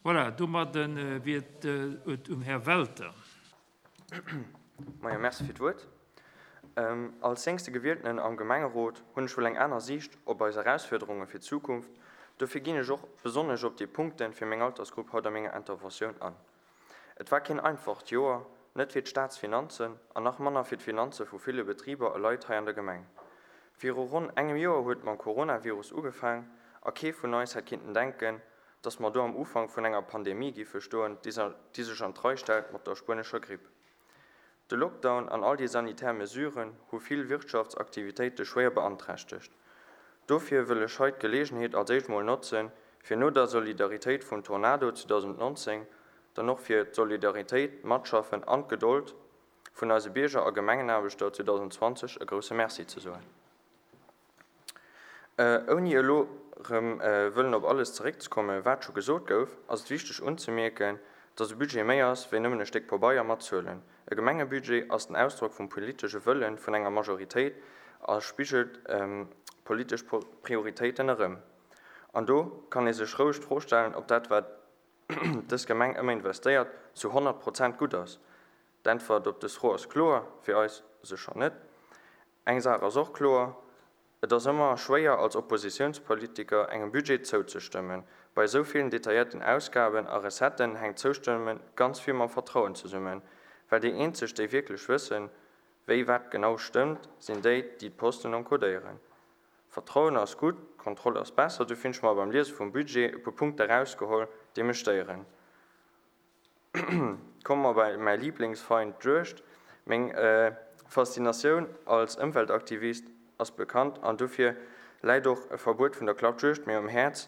Voilà, domadde wier et um Här Welter. Moien, merci fir d'Wuert. Als jéngste Gewieltenen am Gemengerot hunn ech wuel eng aner Siicht op eis Erausfuerderunge fir d'Zukunft. Dofir ginn ech och besonnesch op déi Punkte fir meng Altersgrupp haut a menger Interventioun an. Et war keen einfacht Joer, net fir d'Staatsfinanzen an nach manner fir d'Finanze vu ville Betriber a Leit hei an der Gemeng. Viru ronn engem Joer huet mam Coronavirus ugefaang a kee vun eis hätt kinnten denken, dass mer do am Ufank vun enger Pandemie giffe stoen, déi sech an d'Rei stellt mat der spuenescher Gripp. De Lockdown an all déi sanitär Mesuren hu vill Wirtschaftsaktivitéite schwéier beanträchtegt. Dofir wëll ech hei d'Geleegenheet als éischt mol notzen, fir no der Solidaritéit vum Tornado 2019 dann och fir d'Solidaritéit, d'Matschaffen an d'Gedold vun eise Bierger a Gemengenaarbechter 2020 e grousse Merci ze soen. Ouni elo erëm wëllen op alles zeréckzekommen, wat scho gesot gouf, ass et wichteg unzemierken, dass e Budget méi ass wéi nëmmen e Stéck Pabeier mat Zuelen. E Gemengebudget ass den Ausdrock vum politesche Wëlle vun enger Majoritéit a spigelt politesch Prioritéiten erëm. An do kann ee sech roueg d'Fro stellen, ob dat, wat dës Gemeng ëmmer investéiert, zu 100 Prozent gutt ass. D'Äntwert op dës Fro ass kloer, fir eis sécher net. Eng Saach ass och kloer, Et ass ëmmer schwéier als Oppositiounspolitiker engem Budget zouzestëmmen. Bei esou villen detailléierten Ausgaben a Recetten hänkt d'Zoustëmme ganz vill mam Vertrauen zesummen, well déi eenzeg déi wierklech wëssen, wéi wat genau stëmmt, sinn déi, déi d'Posten encodéieren. Vertrauen ass gutt, Kontroll ass besser. Dofir hunn ech mer beim Liese vum Budget e puer Punkte erausgeholl, déi mech stéieren. Komme mer bei mäi Liblingsfeind, d'Juegd. Meng Faszinatioun als Ëmweltaktivist ass bekannt an dofir läit och e Verbuet vun der Klappjuegd mir um Häerz,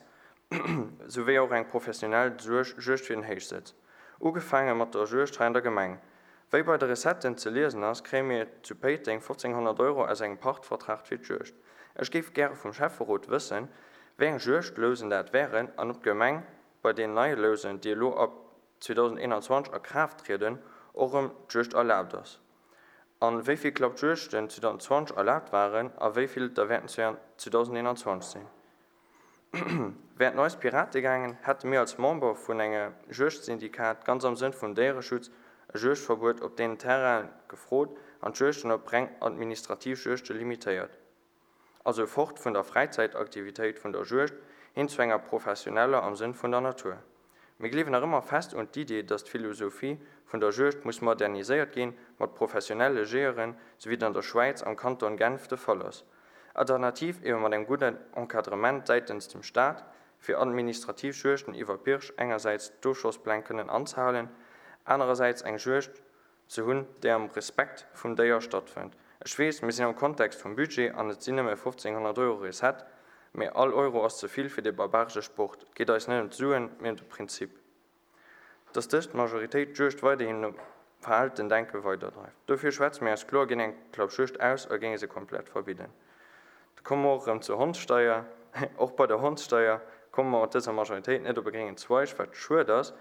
sou wéi och eng professionell Juegd fir den Héichsëtz. Ugefaange mat der Juegd hei an der Gemeng. Wéi bei de Recetten ze liesen ass, kréie mir zu Péiteng 1500 Euro aus engem Pachtvertrag fir d'Juegd. Ech géif gäre vum Schäfferot wëssen, wéi eng Juegdlousen dat wären an ob d'Gemeng bei deenen neie Lousen, déi elo ab 2021 a Kraaft trieden, och erëm d'Juegd erlaabt ass, an wéi vill Klappjuegten 2020 erlaabt waren a wéi vill et der wäerten 2021 sinn. Wär et no eis Pirate gaangen, hätte mir als Member vun enge Juegdsyndikat ganz am Sënn vum Déiereschutz e Juegdverbuet op deenen Terrainen gefrot an d'Juegten op reng administrativ Juegte limitéiert. Also fort vun der Fräizäitaktivitéit vun der Juegd hin zu enger professioneller am Sënn vun der Natur. Mir gleewen nach ëmmer fest un d'Idee, dass d'Philosophie vun der Juegd muss moderniséiert ginn mat professionelle Jeeëren, sou wéi et an der Schwäiz am Kanton Genf de Fall ass. Alternativ ebe mat engem gudden Encadrement säitens dem Staat, fir administrativ Juegden iwwer Pirsch engersäits d'Oschosspläng kënnen anzehalen, anerersäits eng Juegd ze hunn, déi am Respekt vum Déier stattfënnt. Ech weess, mir sinn am Kontext vum Budget an et sinn nëmme 1.500 Euro Recette, mee all Euro ass ze vill fir dee barbaresche Sport. Et geet eis net ëm d'Suen, mee ëm de Prinzip, dass dës Majoritéit d'Juegd weiderhin nom veraalten Denke weiderdreift. Dofir schwätze mir eis kloer géint eng Klappjuegd aus a géinge se komplett verbidden. Da komme mer och erëm zur Hondssteier. Och bei der Hondssteier komme mer mat dëser Majoritéit net op e gréngen Zweig, wat schued ass,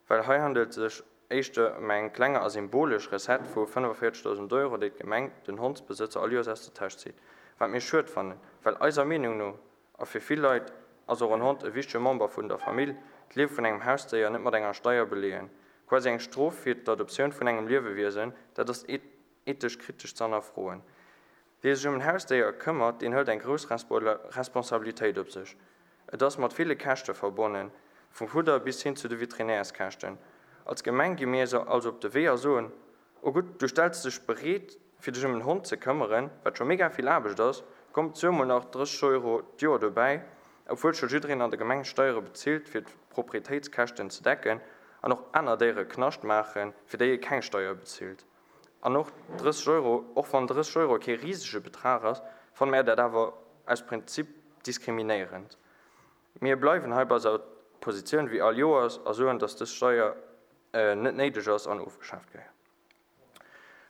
well hei handelt et sech Éischter ëm eng klenge a symbolesch Recette vu 45.000 Euro, déi d'Gemeng den Hondsbesëtzer all Joers aus der Täsch zitt. Wat mir schued fannen, well eiser Meenung no, a fir vill Leit ass och en Hond e wichtege Member vun der Famill, d'Liewe vun engem Hausdéier net mat enger Steier beleeën, quasi eng Strof fir d'Adoptioun vun engem Liewewiesen, dat ass ethesch kritesch ze hannerfroen. Wie sech ëm en Hausdéier këmmert, deen hëlt eng grouss Responsabilitéit op sech. Et ass mat ville Käschte verbonnen, vum Fudder bis hin zu de Veterinärskäschten. Als Gemeng gi mir also op de Wee a soen, Oh gutt, du stells dech bereet, fir dech ëm en Hond ze këmmeren, wat scho mega vill Aarbecht ass, komm, zuel mol nach 30 Euro d'Joer dobäi, obwuel scho jiddereen an der Gemeng Steiere bezilt, fir d'Proprietéitskäschten ze decken, an och aner Déiere Knascht maachen, fir déi ee keng Steier bezilt. An och 30 Euro, och wann 30 Euro kee risege Betrag ass, fanne mär dat awer aus Prinzip diskriminéierend. Mir bleiwen hei bei eiser Positioun wéi all Joers a soen, dass dës Steier net néideg ass an ofgeschaaft gehéiert.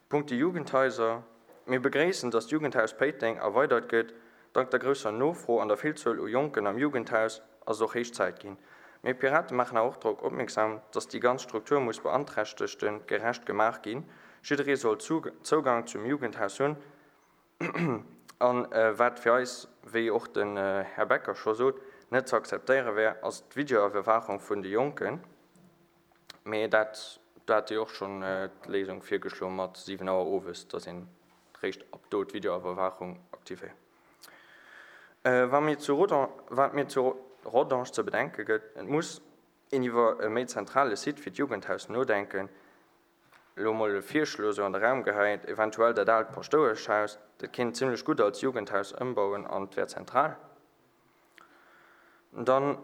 Punkte Jugendhaiser, Mir begréissen, dass d'Jugendhaus Péiteng erweidert gëtt. Dank der grousser Nofro an der Villzuel u Jonken am Jugendhaus ass et och héich Zäit ginn. Mir Piraten maachen awer och drop opmierksam, dass déi ganz Struktur muss Beanträchtegte gerecht gemaach ginn. Jidderee soll Zougang zum Jugendhaus hunn. A wat fir eis, wéi och den Här Becker scho sot, net ze akzeptéiere wär, ass d'Videoiwwerwaachung vun de Jonken. Mee dat, do hat Dir och schonn d'Léisung virgeschloe mat 7 Auer owes, dass een réischt ab do d'Videoiwwerwaachung aktivéiert. Wa mir zu Rodange, wat mir zu Rodange ze bedenke gëtt, Et muss een iwwer e méi zentrale Site fir d'Jugendhaus nodenken. Elo mol e Virschlo sou an de Raum gehäit, eventuell dat aalt Paschtoueschhaus, dat kéint een zimlech gutt als Jugendhaus ëmbauen an et wär zentral. Dann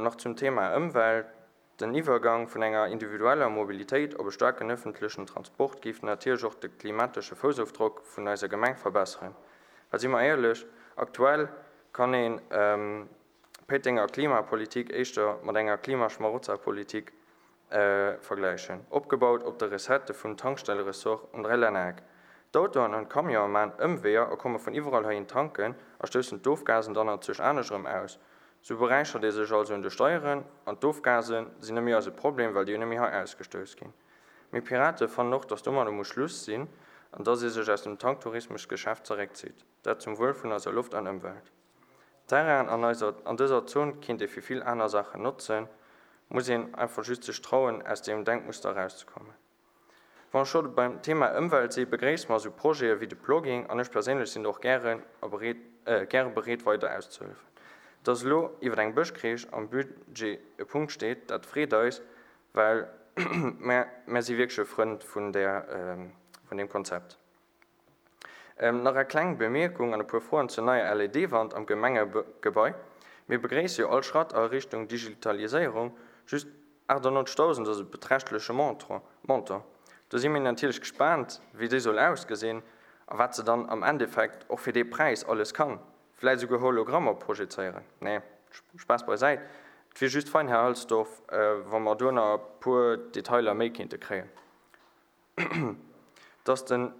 nach zum Thema Ëmwelt, Den Iwwergang vun enger individueller Mobilitéit op e staarken ëffentlechen Transport géif natierlech och de klimatesche Foussofdrock vun eiser Gemeng verbesseren. Well si mer éierlech, aktuell kann een d'Péitenger Klimapolitik éischter mat enger Klimaschmarotzerpolitik vergläichen, opgebaut op de Recettë vum Tankstelleressort um Dräilännereck. D'Autoen an d'Camionë maan Ëmweeër a komme vun iwwerall heihin tanken a stoussen d'Ofgasen dann anzwousch anescht erëm aus. Sou beräichert ee sech also un de Steieren an d'Ofgase sinn net méi eise Problem, well déi jo net méi hei ausgestouss ginn. Mir Pirate fannen och, dass domadder muss Schluss sinn an dass ee sech aus dem Tanktourismusgeschäft zeréckzitt, dat zum Wuel vun eiser Loft an Ëmwelt. Terrainen an eiser an dëser Zon kéint ee fir vill aner Saachen notzen, muss een einfach just sech trauen aus deem Denkmuster erauszekommen. Wann ech scho beim Thema Ëmwelt si, begréisse mer esou Projete wéi de Plogging an ech perséinlech sinn do och gären a bereet gäre bereet weider auszehëllefen. Dass elo iwwer eng Bëschkreech am Budget e Punkt steet, dat freet eis, well mär mär si wierklech e Frënd vun där vun deem Konzept. Nach eng kleng Bemierkung an e puer Froen zur neier LED-Wand am Gemengegebai. Mir begréisse jo all Schratt a Richtung Digitaliséierung, just 98.000 ass e beträchtleche Montant. Do si mir natierlech gespaant, wéi déi soll ausgesinn a wat se dann am Endeffekt och fir dee Präis alles kann. Vläit esouguer Hologrammer projezéieren. Nee, Spaass beisäit, et wier just fein, Här Halsdorf, wa mer do nach e puer Detailer méi kéinte kréien. Dass den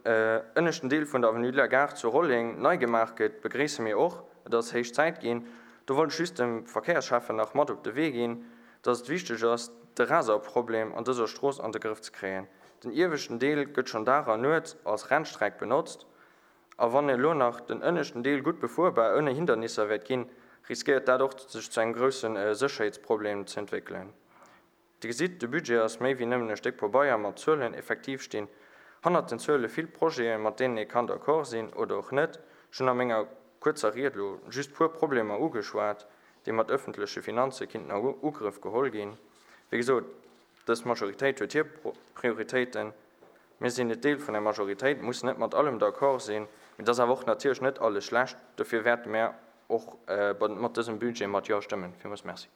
ënneschten Deel vun der Avenue de la Gare zu Rolleng nei gemaach gëtt, begréisse mir och. Et ass héich Zäit ginn. Do wollt ech just dem Verkéiersschäffen nach mat op de Wee ginn, dass et wichteg ass, de Raserproblem an dëser Strooss an de Grëff ze kréien. Den ieweschten Deel gëtt schonn Dag an Nuet als Rennstreck benotzt a wann elo nach den ënneschten Deel gutt befuerbar ouni Hindernisser wäert ginn, riskéiert dat och sech zu engem grousse Sécherheetsproblem ze entwéckelen. Dir gesitt, de Budget ass méi wéi nëmmen e Stéck Pabeier mat Zuelen. Effektiv stinn hannert den Zuele vill Projeten, mat deenen ee kann d'accord sinn oder och net. Ech hunn a menger kuerzer Ried elo just puer Problemer ugeschwat, déi mat öffentleche Finanze kinnten a Ugrëff geholl ginn. Wéi gesot, dës Majoritéit huet hir Prioritéiten. Mir sinn net Deel vun der Majoritéit, mussen net mat allem d'accord sinn, mee et ass awer och natierlech net alles schlecht. Dofir wäerte mär och mat dësem Budget mat Jo stëmmen. Villmools Merci.